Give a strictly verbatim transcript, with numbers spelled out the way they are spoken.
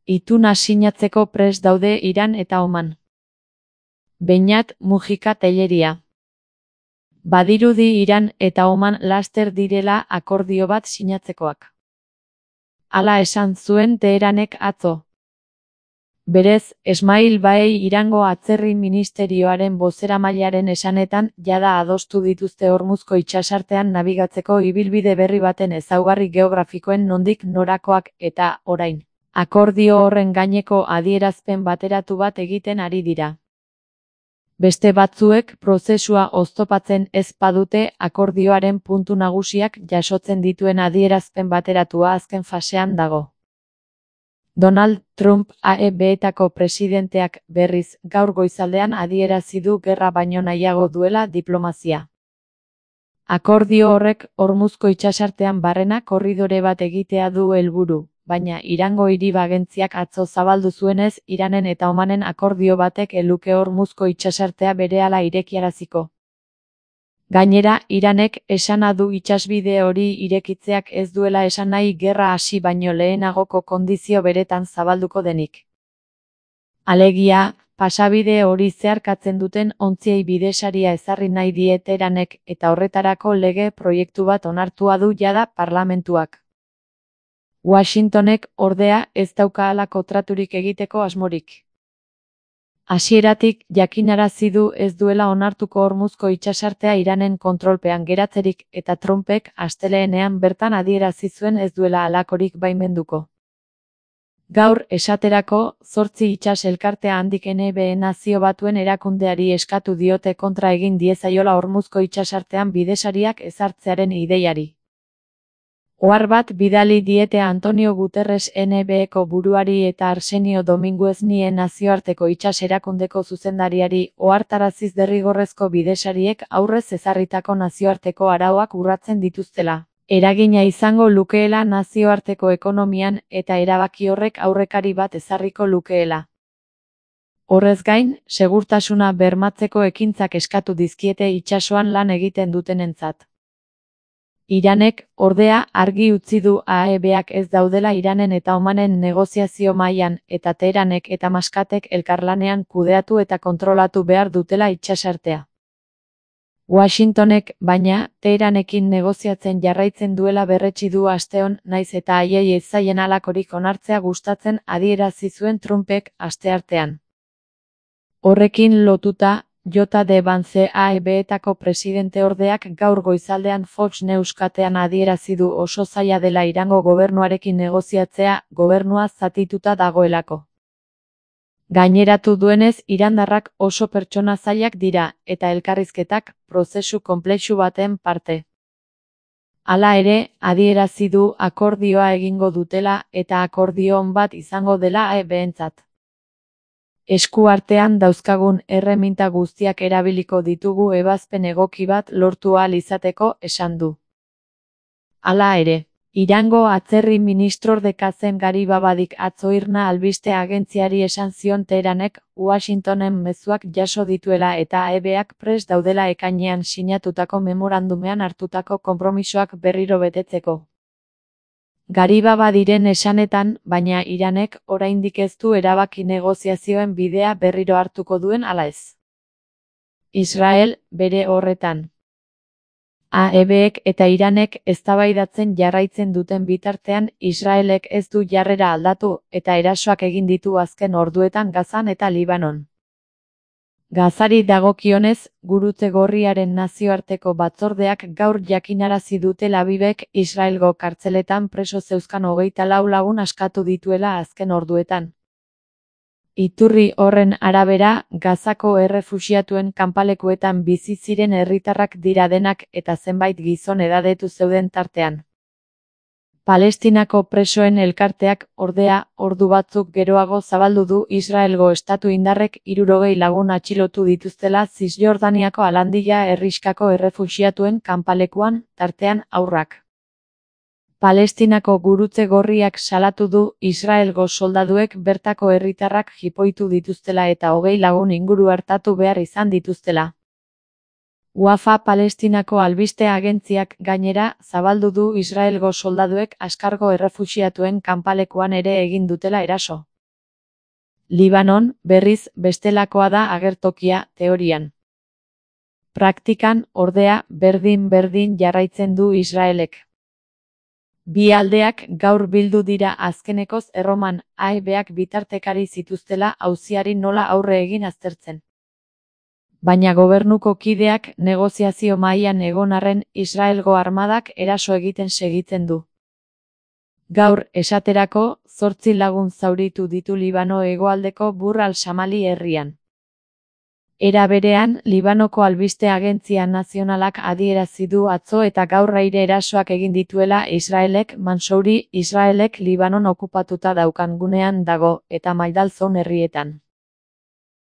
Ituna sinatzeko prest daude Iran eta Oman. Beñat Mujika Telleria. Badirudi Iran eta Oman laster direla akordio bat sinatzekoak. Hala esan zuen Teheranek atzo. Berez, Esmail Baei Irango atzerri ministerioaren bozeramailearen esanetan jada adostu dituzte Hormuzko itsasartean nabigatzeko ibilbide berri baten ezaugarri geografikoen nondik norakoak eta, orain, akordio horren gaineko adierazpen bateratu bat egiten ari dira. Beste batzuek prozesua oztopatzen ez badute akordioaren puntu nagusiak jasotzen dituen adierazpen bateratua azken fasean dago. Donald Trump A E B-etako presidenteak berriz gaur goizaldean adierazi du gerra baino nahiago duela diplomazia. Akordio horrek Hormuzko itsasartean barrena korridore bat egitea du helburu, baina Irango hiri-agentziak atzo zabaldu zuenez Iranen eta Omanen akordio batek ez luke Hormuzko itsasartea berehala irekiaraziko. Gainera, Iranek esana du itsasbide hori irekitzeak ez duela esan nahi gerra hasi baino lehenagoko kondizio beretan zabalduko denik. Alegia, pasabide hori zeharkatzen duten ontziei bidesaria ezarri nahi die Teheranek eta horretarako lege proiektu bat onartua du jada parlamentuak. Washingtonek, ordea, ez dauka halako traturik egiteko asmorik. Hasieratik jakinarazi du ez duela onartuko Hormuzko itsasartea Iranen kontrolpean geratzerik eta Trumpek asteleenean bertan adierazi zuen ez duela halakorik baimenduko. Gaur esaterako, zortzi itsas elkartea handik N B Nazio Batuen erakundeari eskatu diote kontra egin diezaiola Hormuzko itsasartean bidesariak ezartzearen ideiari. Ohar bat bidali diete Antonio Guterres N B Eko buruari eta Arsenio Dominguez nie nazioarteko itsas erakundeko zuzendariari ohartaraziz derrigorrezko bidesariek aurrez ezarritako nazioarteko arauak urratzen dituztela. Eragina izango lukeela nazioarteko ekonomian eta erabaki horrek aurrekari bat ezarriko lukeela. Horrez gain, segurtasuna bermatzeko ekintzak eskatu dizkiete itsasoan lan egiten dutenentzat. Iranek, ordea, argi utzi du A E B-ak ez daudela Iranen eta Omanen negoziazio mailan eta Teheranek eta Maskatek elkarlanean kudeatu eta kontrolatu behar dutela itsasartea. Washingtonek, baina, Teheranekin negoziatzen jarraitzen duela berretsi du asteon, naiz eta haiei ez zaien halakorik onartzea gustatzen adierazi zuen Trumpek asteartean. Horrekin lotuta, J D Vance A E B-etako presidenteordeak gaur goizaldean Fox News katean adierazi du oso zaila dela Irango gobernuarekin negoziatzea, gobernua zatituta dagoelako. Gaineratu duenez irandarrak oso pertsona zailak dira, eta elkarrizketak prozesu konplexu baten parte. Hala ere, adierazi du akordioa egingo dutela eta akordio on bat izango dela A E B-entzat. Esku artean dauzkagun erreminta guztiak erabiliko ditugu ebazpen egoki bat lortu ahal izateko esan du. Hala ere, Irango atzerri ministrorde Kazem Garibabadik atzo Irna albiste agentziari esan zion Teheranek Washingtonen mezuak jaso dituela eta A E B-ak prest daudela ekainean sinatutako memorandumean hartutako konpromisoak berriro betetzeko. Garibabadiren esanetan, baina Iranek oraindik ez du erabaki negoziazioen bidea berriro hartuko duen ala ez. Israel, bere horretan. A E B-ek eta Iranek eztabaidatzen jarraitzen duten bitartean Israelek ez du jarrera aldatu eta erasoak egin ditu azken orduetan Gazan eta Libanon. Gazari dagokionez, Gurutze Gorriaren nazioarteko batzordeak gaur jakinarazi du Tel Avivek Israelgo kartzeletan preso zeuzkan hogeita lau lagun askatu dituela azken orduetan. Iturri horren arabera, Gazako errefuxiatuen kanpalekuetan bizi ziren herritarrak dira denak eta zenbait gizon edadetu zeuden tartean. Palestinako presoen elkarteak, ordea, ordu batzuk geroago zabaldu du Israelgo estatu indarrek hirurogei lagun atxilotu dituztela Zisjordaniako Alandia herrixkako errefuxiatuen kanpalekuan, tartean haurrak. Palestinako Gurutze Gorriak salatu du Israelgo soldaduek bertako herritarrak jipoitu dituztela eta hogei lagun inguru artatu behar izan dituztela. Wafa Palestinako albiste agentziak gainera zabaldu du Israelgo soldaduek Askargo errefuxiatuen kanpalekuan ere egin dutela eraso. Libanon, berriz, bestelakoa da agertokia, teorian. Praktikan, ordea, berdin-berdin jarraitzen du Israelek. Bi aldeak gaur bildu dira azkenekoz Erroman, A E Bak bitartekari zituztela auziari nola aurre egin aztertzen. Baina gobernuko kideak negoziazio mahaian egon arren Israelgo armadak eraso egiten segitzen du. Gaur, esaterako, zortzi lagun zauritu ditu Libano hegoaldeko Bur al-Shamali herrian. Era berean, Libanoko albiste agentzia nazionalak adierazi du atzo eta gaur aire erasoak egin dituela Israelek. Mansouri, Israelek Libanon okupatuta daukan gunean dago, eta Maidal Zone herrietan.